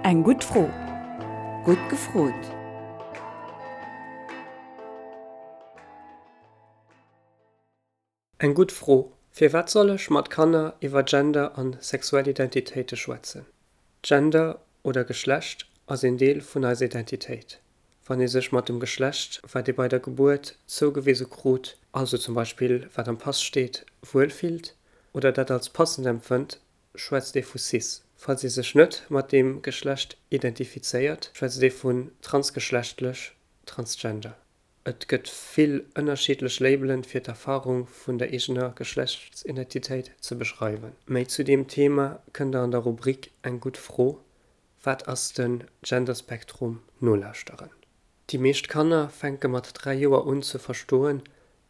Eng gutt Fro. Gutt gefrot! Eng gutt Fro, Firwat soll ech mat Kanner iwwer Gender an sexuell Identitéite schwätzen? Gender oder Geschlecht ass een Deel vun eiser Identitéit. Wann ee sech mat dem Geschlecht, wat ee bei der Gebuert zougewise krut, also zum Beispill wat am Pass steet, wuel fillt oder dat als passend empfënnt, schwätzt ee vu cis. Falls ee sech net mat deem Geschlecht identifizéiert, schwätzt ee vun transgeschlechtlech, transgender. Et gëtt vill ënnerschiddlech Labelen fir d'Erfarung vun der eegener Geschlechtsidentitéit ze beschreiwen. Méi zu deem Thema kënnt der an der Rubrik Eng gutt Fro, Wat ass den Genderspektrum? nolauschteren. Déi meescht Kanner fänke mat 3 Joer un ze verstoen,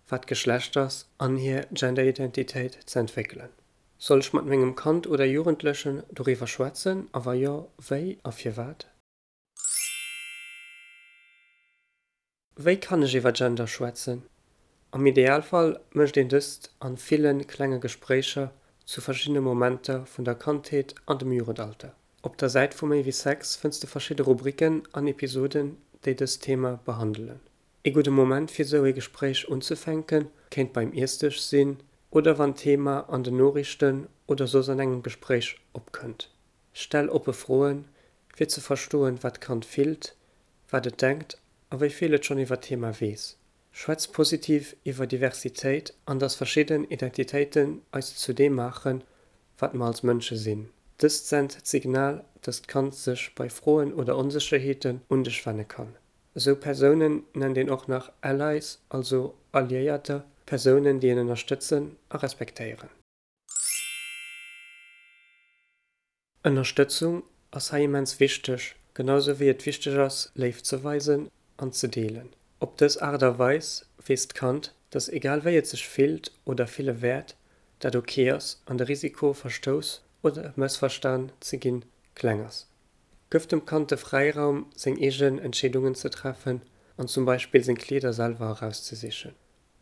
wat Geschlecht ass an hir Genderidentitéit ze entwéckelen. Soll ech mat mengem Kand oder Jugendlechen doriwwer schwätzen a wa jo, wéi a firwat? Wéi kann ech iwwer Gender schwätzen? Am Idealfall mécht een dëst an ville klenge Gespréicher zu verschiddene Momenter vun der Kandheet an dem Jugendalter. Op der Säit vu Méi wéi Sex fënns de verschidde Rubriken an Episoden, déi dëst Thema behandelen. Ee gudde Moment fir sou ee Gespréich unzefänken kéint beim Iessdësch sinn oder wann d'Thema an den Noriichten oder soss an engem Gespréich opkënnt. Stell oppe Froen, fir ze verstoen, wat d'Kand fillt, wat et denkt a wéi vill et schonn iwwer d'Thema weess. Schwätz positiv iwwer Diversitéit an dass verschidden Identitéiten eis zu deem maachen, wat mer als Mënsche sinn. Dëst sent d'Signal, dass d'Kand sech bei Froen oder Onsécherheeten un dech wenne kann. Esou Persounen nennt een och nach Allies, also Alliéierter, Persounen, déi een ënnerstëtzen a respektéieren. Ënnerstëtzung ass hei immens wichteg, genau sou wéi et wichteg ass Léift ze weisen an ze deelen. Op dës Aart a Weis weess d'Kand, dass egal wéi et sech fillt oder fille wäert, dat ok ass an de Risiko verstouss oder mëssverstan ze ginn kleng ass. Gëff dem Kand de Fräiraum seng eegen Entscheedungen ze treffen an zum Beispill seng Kleeder selwer erauszesichen.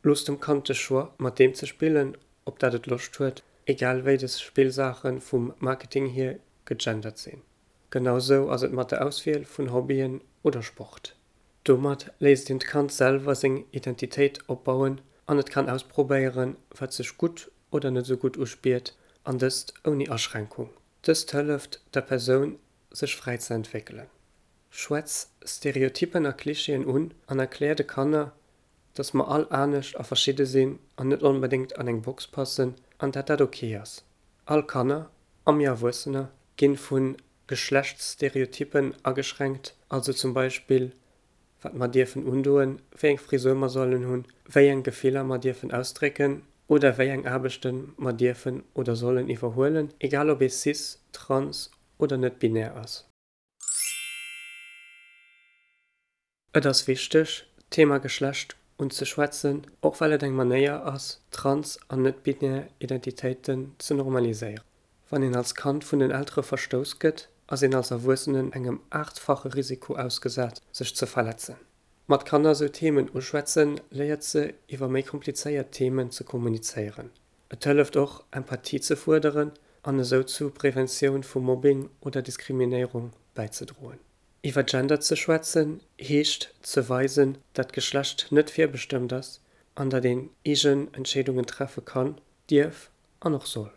Looss dem Kand de Choix, mat deem ze spillen, op dat et Loscht huet, egal wéi des Spillsaache vum Marketing hier gegendert sinn. Genau sou ass et mat der Auswiel vun Hobbyen oder Sport. Domat léisst een d'Kand selwer seng Identitéit opbauen an et kann ausprobéieren, wat sech gutt oder net sou gutt uspiert, an dëst ouni Aschränkung. Dëst hëlleft der Persoun, sech fräi ze entwéckelen. Schwätz Stereotypen a Klischeeën un an erklär de Kanner, dass mer all anescht a verschidde sinn an net onbedéngt an eng Box passen an dat dat ok ass. All Kanner, a mir Erwuessener, ginn vu Geschlechtsstereotypen ageschränkt, also zum Beispill wat mer dierfen undoen, wéi eng Frisur mer sollen hunn, wéi eng Gefiller mer dierfen ausdrécken oder wéi eng Aarbechten mer dierfen oder sollen iwwerhuelen, egal ob ee cis, trans oder net-binär ass. Et ass wichteg, d'Thema Geschlecht unzeschwätzen, och well et eng Manéier ass, trans an net-binär Identitéiten ze normaliséieren. Wann een als Kand vun den Eltere verstouss gëtt, ass een als Erwuessenen engem aachtfache Risiko ausgesat, sech ze verletzen. Mat Kanner sou Themen uschwätzen, léiert se, iwwer méi komplizéiert Themen ze kommunizéieren. Et hëlleft och, Empathie ze fuerderen an esou zu Preventioun vu Mobbing oder Diskriminéierung bäizedroen. Iwwer Gender ze schwätzen, heescht ze weisen, dat Geschlecht net virbestëmmt ass an datt een eegen Entscheedungen treffe kann, dierf an och soll.